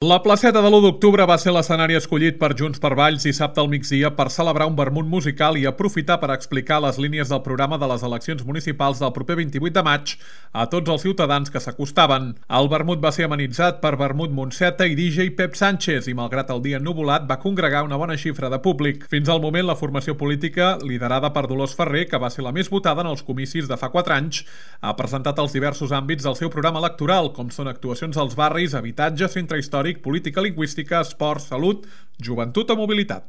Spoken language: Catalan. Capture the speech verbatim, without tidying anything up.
La placeta de l'u d'octubre va ser l'escenari escollit per Junts per Valls dissabte al migdia per celebrar un vermut musical i aprofitar per explicar les línies del programa de les eleccions municipals del proper vint-i-vuit de maig a tots els ciutadans que s'acostaven. El vermut va ser amenitzat per Vermut Montseta i D J Pep Sánchez i, malgrat el dia ennuvolat, va congregar una bona xifra de públic. Fins al moment, la formació política, liderada per Dolors Ferrer, que va ser la més votada en els comicis de fa quatre anys, ha presentat els diversos àmbits del seu programa electoral, com són actuacions als barris, habitatge, centre històric, política lingüística, esport, salut, joventut o mobilitat.